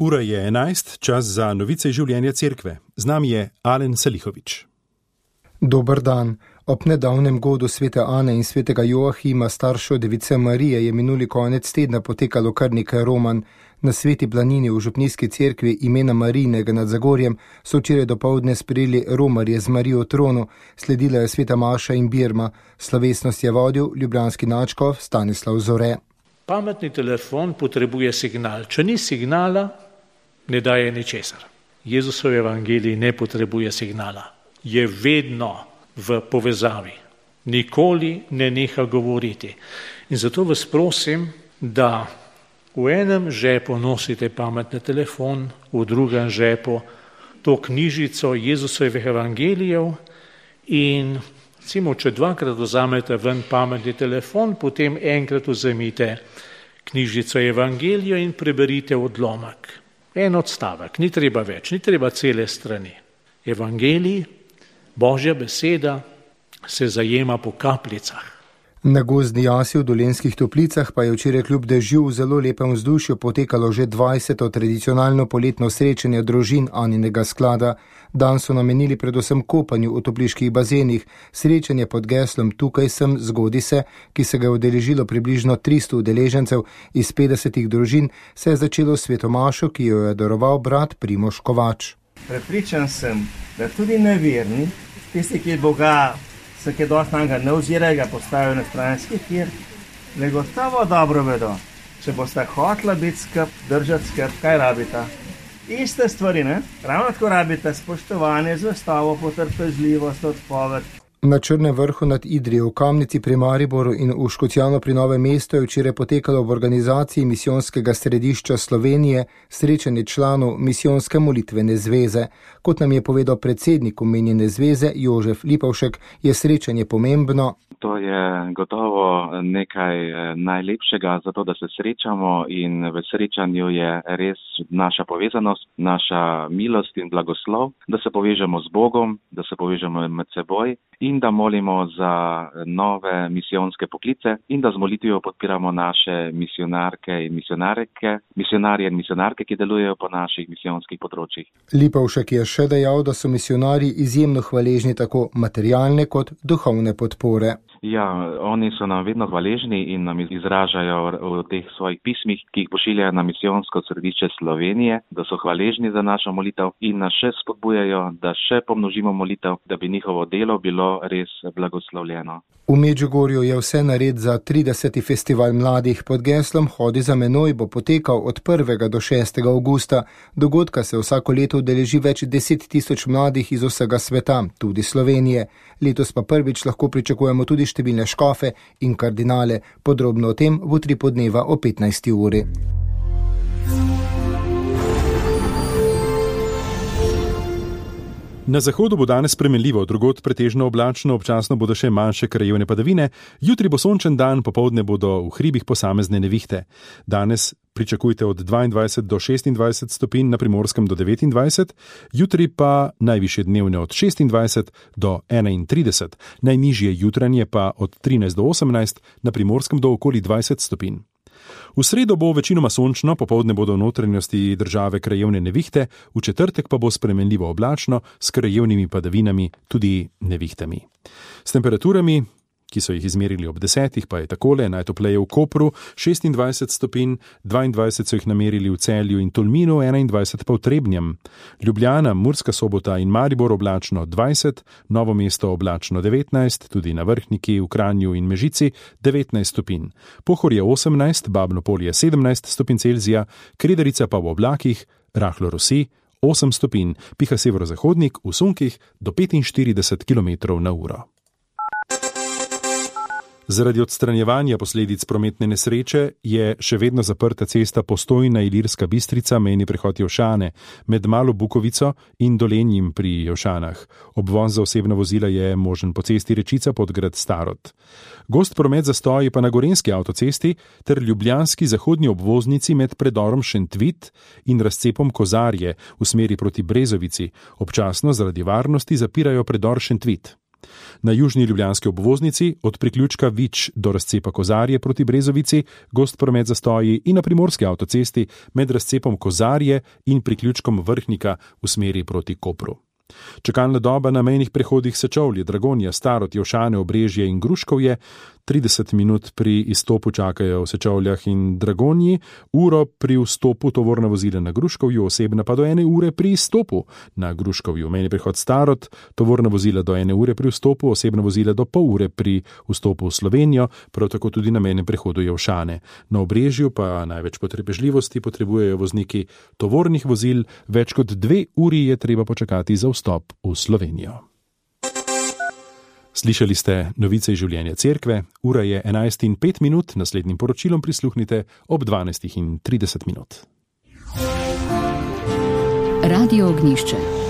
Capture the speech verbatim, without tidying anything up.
Ura je enajst, čas za novice življenja cerkve. Z nami je Alen Salihovič. Dober dan. Ob nedavnem godu svete Ane in svetega Joahima, staršev device Marije, je minuli konec tedna potekalo kar nekaj romanj. Na Sveti planini v župnijski cerkvi imena Marijinega nad Zagorjem so včeraj dopoldne sprejeli romarje z Marijo v tronu, sledila je sveta maša in birma. Slovesnost je vodil ljubljanski nadškof Stanislav Zore. Pametni telefon potrebuje signal. Če ni signala, ne daje ničesar. Jezusov evangelij ne potrebuje signala. Je vedno v povezavi. Nikoli ne neha govoriti. In zato vas prosim, da v enem žepu nosite pametni telefon, v drugem žepu to knjižico Jezusovih evangelijev in recimo, če dvakrat vzamete ven pametni telefon, potem enkrat vzemite knjižico evangelijev in preberite odlomek. En odstavek, ni treba več, ni treba cele strani. Evangelij, Božja beseda se zajema po kapljicah. Na gozdni jasi v Dolenjskih Toplicah pa je včeraj kljub dežju v zelo lepem vzdušju potekalo že dvajseto tradicionalno poletno srečanje družin Aninega sklada. Dan so namenili predvsem kopanju v topliških bazenih. Srečanje pod geslom Tukaj sem, zgodi se, ki se ga je udeležilo približno tristo udeležencev iz petdesetih družin, se je začelo s svetomašo, ki jo je daroval brat Primož Kovač. Prepričan sem, da tudi neverni, tisti, ki Boga se kaj dosti nanega ne ozirajo, ga postavijo na stranski tir, le gotovo dobro vedo, če boste hotla biti skrb, držati skrb, kaj rabita. Iste stvari, ne? Ravno tako rabite spoštovanje, zvestobo, potrpežljivost, odpoved. Na Črnem vrhu nad Idrijo, v Kamnici pri Mariboru in v Škocjanu pri Novem mestu je včeraj potekalo v organizaciji Misijonskega središča Slovenije srečanje članov Misijonske molitvene zveze. Kot nam je povedal predsednik omenjene zveze Jožef Lipovšek, je srečanje pomembno. To je gotovo nekaj najlepšega, zato da se srečamo in v srečanju je res naša povezanost, naša milost in blagoslov, da se povežemo z Bogom, da se povežemo med seboj in da molimo za nove misijonske poklice in da z molitvijo podpiramo naše misionarke in misionarke, misionarje in misionarke, ki delujejo po naših misijonskih področjih. Lipovšek je še dejal, da so misionarji izjemno hvaležni tako materialne kot duhovne podpore. Ja, oni so nam vedno hvaležni in nam izražajo v teh svojih pismih, ki jih pošiljajo na Misijonsko središče Slovenije, da so hvaležni za našo molitev in nas še spodbujajo, da še pomnožimo molitev, da bi njihovo delo bilo res blagoslovljeno. V Medžugorju je vse nared za trideseti festival mladih pod geslom Hodi za menoj bo potekal od prvega do šestega avgusta. Dogodka se vsako leto udeleži več deset tisoč mladih iz vsega sveta, tudi Slovenije. Letos pa prvič lahko pričakujemo tudi številne škofe in kardinale. Podrobno o tem v Utri podneva o petnajsti uri. Na zahodu bo danes spremenljivo, drugod pretežno oblačno, občasno bodo še manjše krajevne padavine, jutri bo sončen dan, popoldne bodo v hribih posamezne nevihte. Danes pričakujte od dvaindvajset do šestindvajset stopinj, na Primorskem do devetindvajset, jutri pa najvišje dnevne od šestindvajset do enaintrideset, najnižje jutranje pa od trinajst do osemnajst, na Primorskem do okoli dvajset stopinj. V sredo bo večinoma sončno, popoldne bodo v notranjosti države krajevne nevihte, v četrtek pa bo spremenljivo oblačno s krajevnimi padavinami, tudi nevihtami. S temperaturami, ki so jih izmerili ob desetih, pa je takole: najtopleje v Kopru šestindvajset stopinj, dvaindvajset so jih namerili v Celju in Tolminu, enaindvajset pa v Trebnjem. Ljubljana, Murska Sobota in Maribor oblačno dvajset, Novo mesto oblačno devetnajst, tudi na Vrhniki, v Kranju in Mežici devetnajst stopinj. Pohorje osemnajst, Babno Polje sedemnajst stopinj Celzija, Kredarica pa v oblakih, rahlo rosi osem stopinj, piha severozahodnik v sunkih do petinštirideset kilometrov na uro. Zaradi odstranjevanja posledic prometne nesreče je še vedno zaprta cesta Postojna-Ilirska Bistrica, mejni prehod Jelšane, med Malo Bukovico in Dolenjim pri Jelšanah. Obvoz za osebna vozila je možen po cesti Rečica Podgrad Starod. Gost promet zastoji pa na Gorenjski avtocesti ter ljubljanski zahodni obvoznici med predorom Šentvit in razcepom Kozarje v smeri proti Brezovici. Občasno zaradi varnosti zapirajo predor Šentvit. Na južni ljubljanski obvoznici od priključka Vič do razcepa Kozarje proti Brezovici gost promet zastoji in na primorski avtocesti med razcepom Kozarje in priključkom Vrhnika v smeri proti Kopru. Čakalna doba na mejnih prehodih Sečovlje, Dragonja, Starod, Jelšane, Obrežje in Gruškovje, trideset minut pri izstopu čakajo v Sečovljah in Dragonji, uro pri vstopu tovorna vozila na Gruškovju, osebna pa do ene ure pri izstopu na Gruškovju. Mejni prehod Starod, tovorna vozila do ene ure pri vstopu, osebna vozila do pol ure pri vstopu v Slovenijo, prav tako tudi na mejnem prehodu Jelšane. Na Obrežju pa največ potrpežljivosti potrebujejo vozniki tovornih vozil, več kot dve uri je treba počakati za vstop v Slovenijo. Slišali ste novice iz življenja cerkve, ura je enajst in pet minut, naslednjim poročilom prisluhnite ob dvanajst in trideset minut. Radio Ognjišče.